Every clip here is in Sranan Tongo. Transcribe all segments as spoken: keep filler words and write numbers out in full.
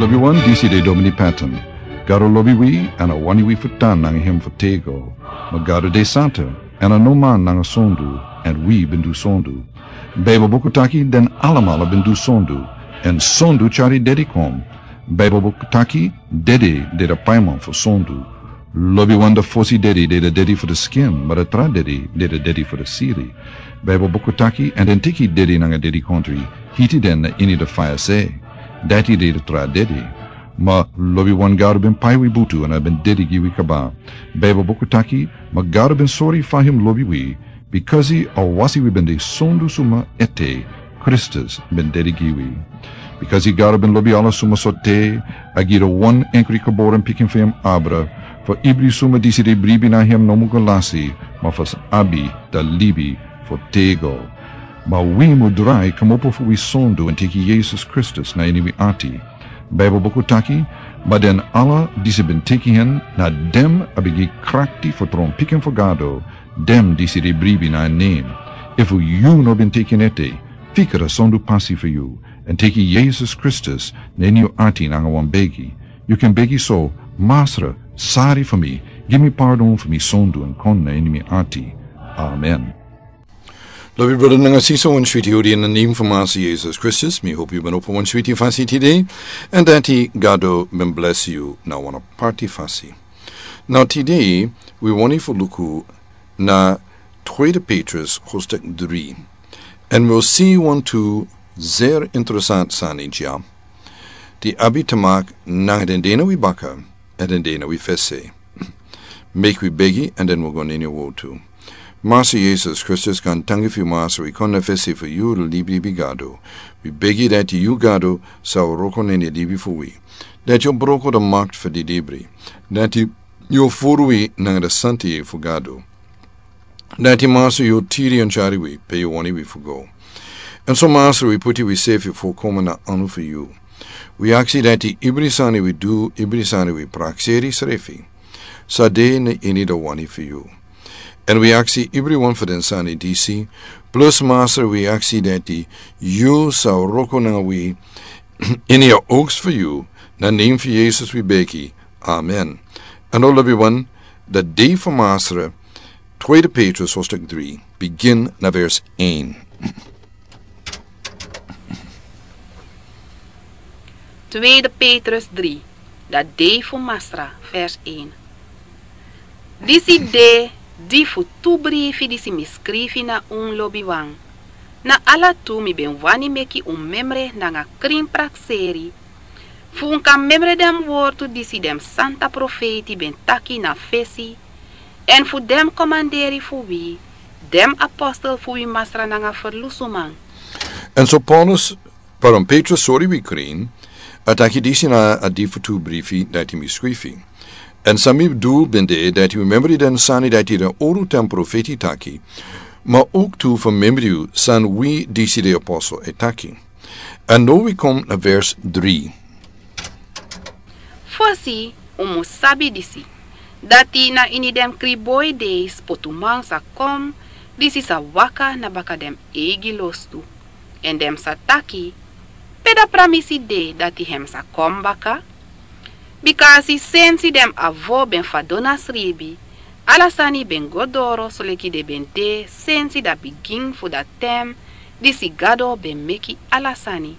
Lobi wan, disi de Domini Patton. Gado lobi wi, èn a wani wi fu tan nanga hem fu tego. Ma Gado de santa, èn a no man nanga sondu, èn wi ben du sondu. Baibel buku taki den alamala ben du sondu, èn sondu tyari dedi kon. Baibel buku taki dedi de a paiman fu sondu. Lobi wan, a fosi dedi de a dedi fu a skin, ma a tra dedi de a dedi fu a siri. Baibel buku taki, èn den teki dedi nanga dedikontri, hiti den na ini a faya se. Dati de a tra dedi. Ma lobi wan, Gado ben pai wi butu èn a ben dedi gi wi kaba. Baibel buku taki, ma Gado ben sori fa hem lobi wi, bikasi a wasi wi ben de sondu suma ete, Kristus ben dedi gi wi. Bikasi Gado ben lobi ala suma sortu, a gi a wan enkri geboren pikin fu hem abra, fu ibri suma disi de bribi na hem no mu go lasi, ma fu sa abi a libi fu tego. Ma wi mu drai kmopo fu wi sondu èn teki Yesus Kristus na ini wi ati. Baibel buku taki, ma den ala disi ben teki hen, na den a ben gi krakti fu tron pikin fu Gado, den disi de bribi na en nen. Efu yu no ben teki en ete, fika a sondu pasi fu yu, èn teki Yesus Kristus na ini yu ati nanga wan begi. Yu kan begi so: Masra, sari fu mi, gi mi pardon fu mi sondu èn kon na ini mi ati. Amen. Lobi brada nanga sisa, wan switi odi in a nen fu Masra Yesus Kristus. Mi hopi yu ben opo wan switi fasi tide, èn dati Gado ben blesi yu na wan aparti fasi. Now tide wi wani fu luku na Tweede Petrus hoofdstuk dri. Èn wi o si wantu zeer interessant sani dya, di abi te maki nanga den de na wi baka èn den de na wi fesi. Meki wi begi èn den wi go na ini a wortu. Masra Yesus Kristus, gaantangi fu yu Masra, wi kon na fesi fu yu, libi libi Gado. Wi begi dati yu Gado sa wroko na ini a libi fu wi. Dati yu o broko a makti fu didibri. Dati yu o furu wi nanga a santa yeye fu Gado. Dati Masra yu o tiri èn tyari wi pe yu wani wi fu go. Èn so Masra, wi poti wi sefi fu kon na anu fu yu. Wi aksi dati ibri sani wi du, ibri sani wi prakseri srefi, sa de na ini a wani fu yu. Èn wi aksi ibri wan fu den sani disi, plus Masra wi aksi dati yu sa wroko nanga wi ini a ogsi fu yu, na nen fu Yesus wi begi. Amen. Èn now lobi wan, a dei fu Masra, Tweede Petrus hoofdstuk dri, bigin na vers een. Tweede Petrus dri, a dei fu Masra, vers een. Disi de di fu tu brifi disi mi skrifi na un, lobi wan. Na ala tu mi ben wani meki un memre nanga krin prakseri, fu un kan memre den wortu disi den santa profeiti ben taki na fesi, èn fu den komanderi fu wi, den apostel fu wi Masra nanga ferlusuman. Èn so Paulus, pardon, Petrus sori wi krin, a taki disi na a dei fu tu brifi dati mi skrifi. Èn san mi du ben de dati wi memre den sani dati den owru ten profeiti taki, ma ook tu fu memre yu san wi disi de apostel e taki. Èn now wi kon na vers dri. Fosi un mus sabi disi, dati na ini den kriboi dei spotuman sa kon, disi sa waka na baka den eigi lostu. Èn den sa taki: Pe a pramisi de dati hem sa kon baka? Bikasi sensi den avo ben fadon na sribi, ala sani ben go doro soleki den ben de sensi a bigin fu a ten disi Gado ben meki ala sani.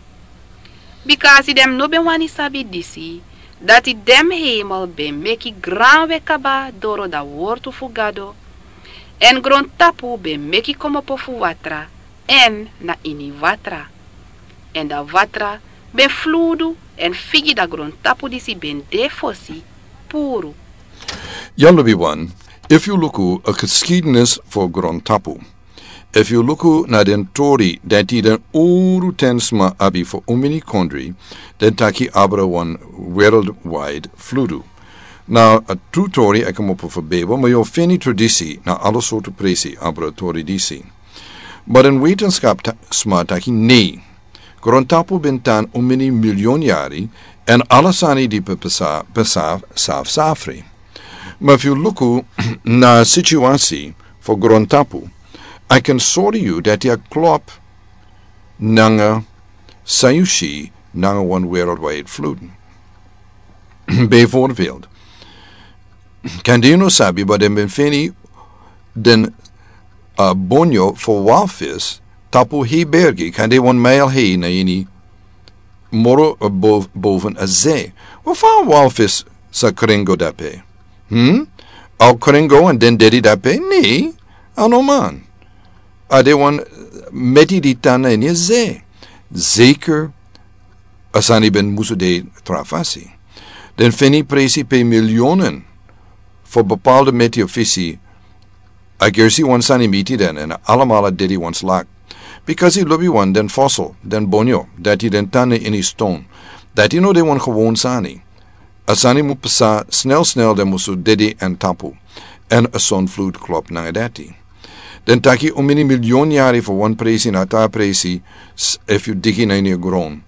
Bikasi den no ben wani sabi disi, dati den hemel ben meki granwe kaba doro a wortu fu Gado, èn grontapu ben meki kmopo fu watra, èn na ini watra. Èn a watra ben fludu èn figi a grontapu disi ben de fosi puru. Ya lobi wan, efu yu luku a geschiedenis fu grontapu, efu yu luku na den tori dati den owru ten sma abi fu omeni kondri, den taki abra wan worldwide fludu. Na a tru tori e kmopo fu Bijbel, ma yu o feni tradisi na ala sortu presi abra tori disi. Ma den wetenskap ta-, sma taki nei. Grontapu ben tan omeni milion yari, èn ala sani di pe pasa, pasa saf safri. Ma efu yu luku na situasi fu grontapu, a kan sori yu dati a klop nanga san yu si nanga wan worldwide flood. Bijvoorbeeld, kande yu no sabi, but den ben feni den, uh, bonyo for walvis tapu hei bergi, kande wan mile hei na ini, moro, uh, bov-, boven a zee. Wafan walvis sa kringo dape? Hmm? Al kringo en den dedi dape? Nee, a no man. A de wan meti di tan na ini a zee. Zeker a sani ben musu de tra fasi. Den feni presi pe miljoenen for bepaalde meti of fisi. A gersi wan sani miti den en alamala dedi wan slak. Because i lobi wan den fossil, den bonyo, dati den tan na ini ston. Dati no de wan gewoon sani. A sani mu psa snel snel den musu dedi en tapu. En a son fluid klop nanga dati. Den taki un mini miljoen yari for wan presi na ta presi, s-, efu yu digi na ini a gron.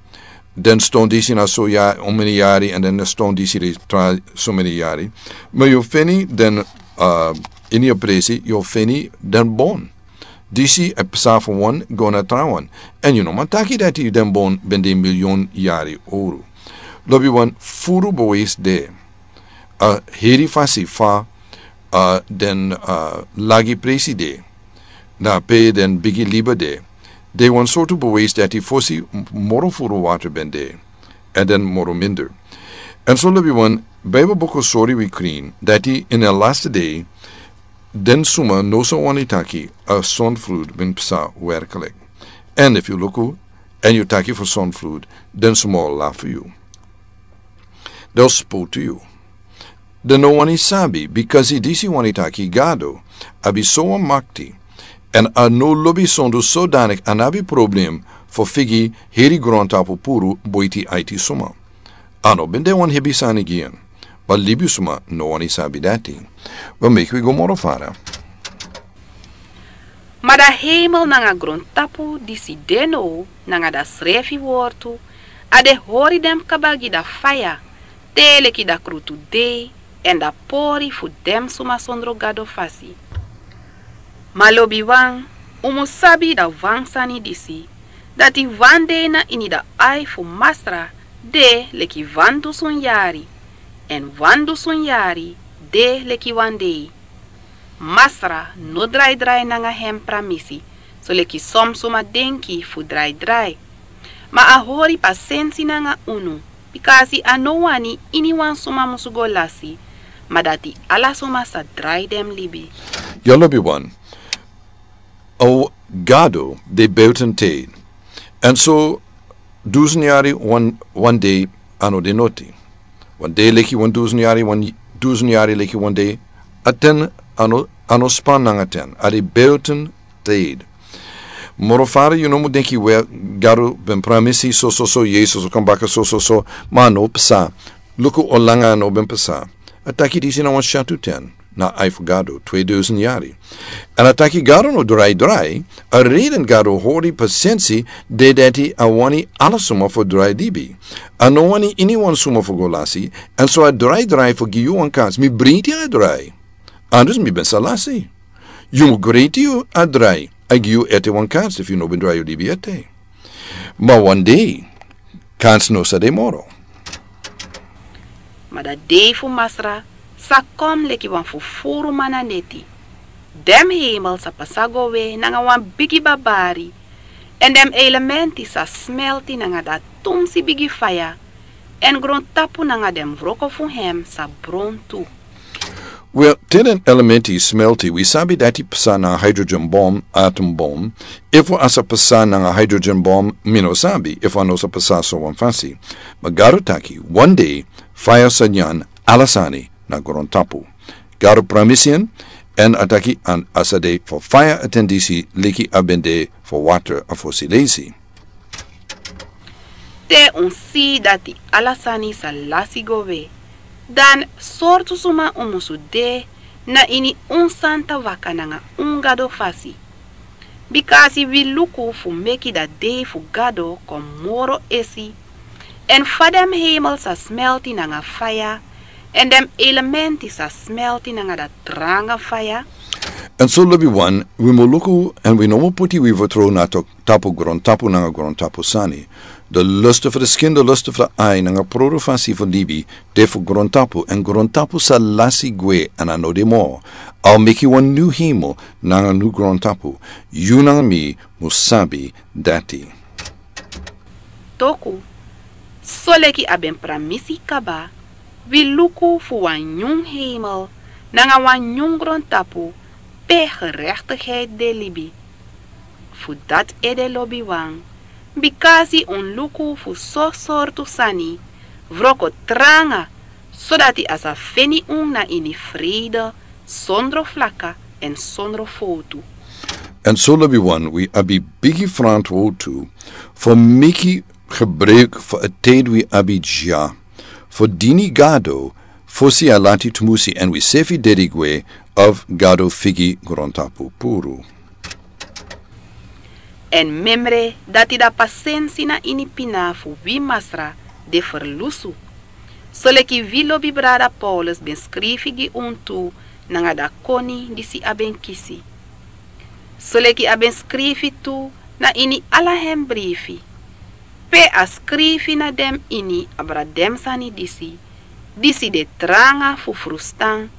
Den ston disi na so ya, un mini yari, en den ston disi de tra so mini yari. Ma yu feni den, uh, ini a presi, yu feni den bon. Disi e psa for wan go na trawan. En yu no man taki dati den bon ben de miljoen yari oru. Lobi wan furu bewijs de. A heri fasi fa, a den, a lagi presi de, na pe den bigi liba de, de wan sortu bewijs dati fosi m-, moro furu water ben de, en den moro minder. En so lobi wan Bijbel buku sori wi krin, dati in a last day, den suma no so wani taki, a son fluid ben psa werkelijk. En if yu luku, en yu taki for son fluid, den suma o lafu yu. Den o spotu yu. Den no wani sabi, because i disi wani taki Gado abi so wan makti, en a no lobi sondu sodanik a no abi problem for figi heri grontapu puru boiti aiti suma. A no ben de wan hebi sani gi en, ma libi suma no wani sabi dati. We meki wi go moro fara. Ma da heimel nanga grontapu disi de now, nanga da srefi wortu, a de hori den kaba gi da faya, te leki da krutu dei, en da pori fu den suma sondro Gado fasi. Ma lobiwan, un mu sabi da wan sani disi, dati wan dei na ini da ai fu Masra de leki wan dusun yari, en wan dusun yari de leki wan dei. Masra no draidrai nanga hem pramisi, soleki son suma denki fu draidrai. Ma a hori pasensi nanga unu, bikasi a no wani iniwan suma musu go lasi, ma dati ala suma sa drai den libi. Yu lobiwan, a Gado de buiten tijd. En so dusun yari wan, wan dei a no de noti. Wan dei leki wan dusun yari, wan dusun yari leki wan dei. A ten a no, a no span nanga ten. A de buiten tijd. Moro fara yu no mu denki we Gado ben pramisi so so so, Yesus o kon baka so so so, ma a no psa. Luku o langa a no ben psa. A taki disi na wan shatu ten. Na ai fu Gado, tweeduizend yari. En a taki Gado no drai drai, a reden Gado hori pasensi, de dati a wani ala suma fu drai libi. A no wani iniwan suma fu go lasi, en so a drai drai fu gi yu wan kans, mi briti a drai. Anders mi ben sa lasi. Yu mu griti yu a drai, a gi yu ete wan kans, efu yu no ben drai yu libi ete. Ma wan dei, kans no sa de moro. Ma da dei fu Masra sa kon leki wan fufuru man na neti. Den heimel sa pasa go we nanga wan bigi babari, en den elementi sa smelti nanga da tumsi bigi faya, en grontapu nanga den wroko fu hem sa bron tu. Wel, te den elementi smelti, wi sabi dati psa na hydrogen bom, atom bom. Efu a sa psa nanga hydrogen bom, mi no sabi, efu a no sa psa so wan fasi. Ma Gado taki, wan dei, faya sa nyan ala sani na grontapu. Gado pramisi en, en a taki a sa de fu faya a ten disi leki a ben de fu water a fosi leisi. Te un si dati ala sani sa lasi go we, dan sortu suma un musu de na ini un santa waka nanga un Gado fasi. Bikasi wi luku fu meki da dei fu Gado kon moro esi, en fa den heimel sa smelti nanga faya, en den elementi sa smelti nanga da tranga faya. Èn so lobiwan, wi mu luku èn wi no mu poti wi fertrow na to-, tapu grontapu nanga grontapu sani. De lustu fu de skin, de lustu fu de ai nanga produ fasi fu libi de fu grontapu, èn grontapu sa lasi gwe èn a no de moro. A o meki wan nyun hemel nanga nyun grontapu. Yu nanga mi mu sabi dati. Toku, soleki a ben pramisi kaba, wi luku fu wan nyun hemel nanga wan nyun grontapu pe gerektigheid de libi. Fu dati ede lobiwan, bikasi un luku fu so sortu sani wroko tranga, sodati a sa feni un na ini vrede, sondro flaka èn sondro fowtu. Èn so lobiwan, wi abi bigi ferantwortu fu meki gebruik fu a tide wi abi dya fu dini Gado, fosi a lati tumusi èn wi sefi dede gwe of Gado figi grontapu puru. Èn memre dati da pasensi na ini pina fu wi Masra de ferlusu. Soleki wi lobi brada Paulus ben skrifi gi un tu nanga da koni disi a ben kisi. Soleki a ben skrifi tu na ini ala hen brifi. Pe a skrifi na den ini abra den sani disi, disi de tranga fu frustan,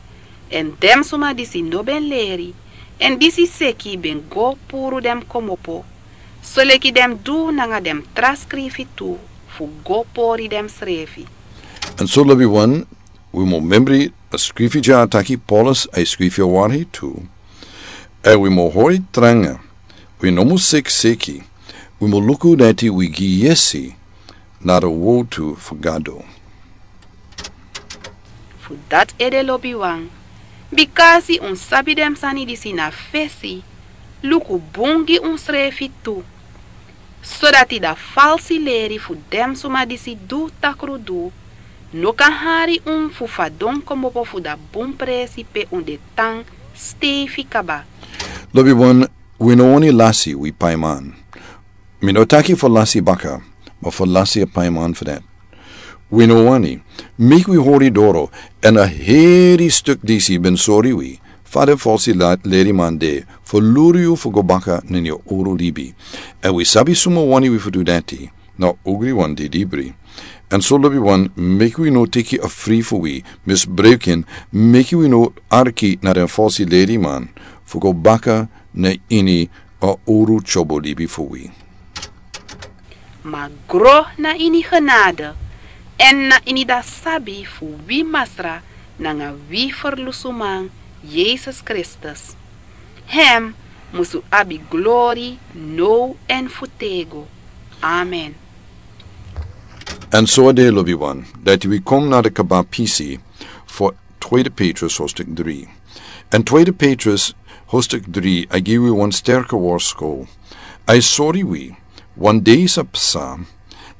èn den suma disi no ben leri, èn disi seki ben go puru den komopo, soleki den du nanga den tra skrifi tu fu go pori densrefi. Èn so lobiwan, wi mu memri a skrifi dya taki Paulus a skrifi a wari tu. Èn wi mu hori tranga, wi no mu seki seki, wi mu luku dati wi gi yesi na de wowtu fu Gado. Fu dati ede lobiwan, bikasi un sabi den sani disi na fesi, luku bun gi unsrefi tu. Sodati da falsi leri fu den suma disi du takrudu no kan hari un fu fadon komopo fu da bun presi pe un de tan steifi kaba. Lobiwan, wi no wani lasi wi paiman. Mi no taki fu lasi baka, ma fu lasi a paiman fu dati. Wi no wani, meki wi hori doro, èn a heri stuk disi ben sori wi, fa den falsi la-, leriman de, fu luru yu fu go baka na ini a oro libi. Èn wi sabi suma wani wi fu du dati, na ogriwan didibri. Èn so lobiwan, meki wi no teki a fri fu wi, misbruik en, meki wi no arki na den falsi leriman, fu go baka na ini a oro tyobo libi fu wi. Ma gro na ini genade, èn na ini da sabi fu wi Masra nanga wi Ferlusuman, Yesus Kristus. Hem musu abi glori now èn fu têgo. Amen. Èn so a de lobiwan, dati wi kon na de kaba pisi fu Tweede Petrus hoofdstuk drie. Èn Tweede Petrus hoofdstuk drie a gi wi wan sterke worsko. A sori wi, wan dei sa psa,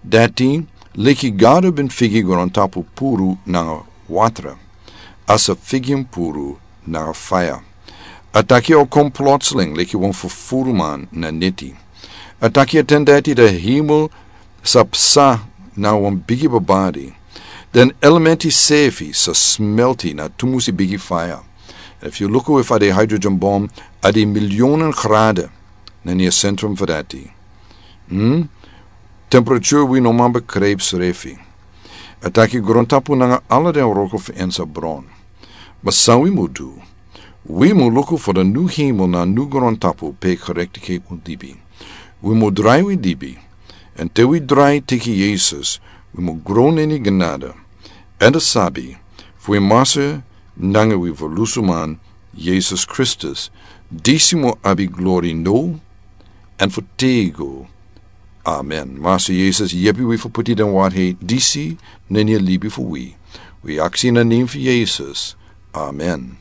dati leki Gado ben figi grontapu puru nanga watra, a sa figi en puru nanga faya. A taki a o kon plotseling leki wan fufuruman na neti. A taki a ten dati de hemel sa psa na wan bigi babari. Den elementi sefi sa smelti na tumusi bigi faya. Efu yu luku efu a de hydrogen bom, a de miljonen grade na ini a sentrum fu dati. Hmm? Temperature wi no man begrijp srefi. A taki grontapu nanga ala den wroko fu en sa bron. Ma san wi mu du? Wi mu luku fu de nyun hemel nanga nyun grontapu pe gerechtigheid mu libi. Wi mu drai wi libi. Èn te wi drai teki Yesus, wi mu gro na ini genade. Èn de sabi fu wi Masra nanga wi Ferlusuman, Yesus Kristus, disi mu abi glori now èn fu têgo. Amen. Masra Yesus, yepi wi fu poti den waarheid disi na ini a libi fu wi. Wi aksi na nen fu Yesus. Amen.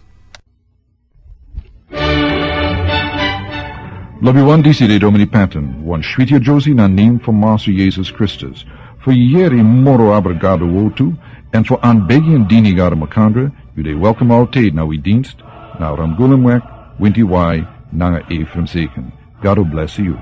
Lobiwan, disi de Domini Patton, wan switi yere na nen fu Masra Yesus Kristus. Fu yere moro abra Gado wowtu, èn fu aanbeveel dini Gado makandra, yu de welkom altijd na wi dienst, na Ramgulumweg, Winti Wai, nanga Ephraim Zeken. Gado bless yu.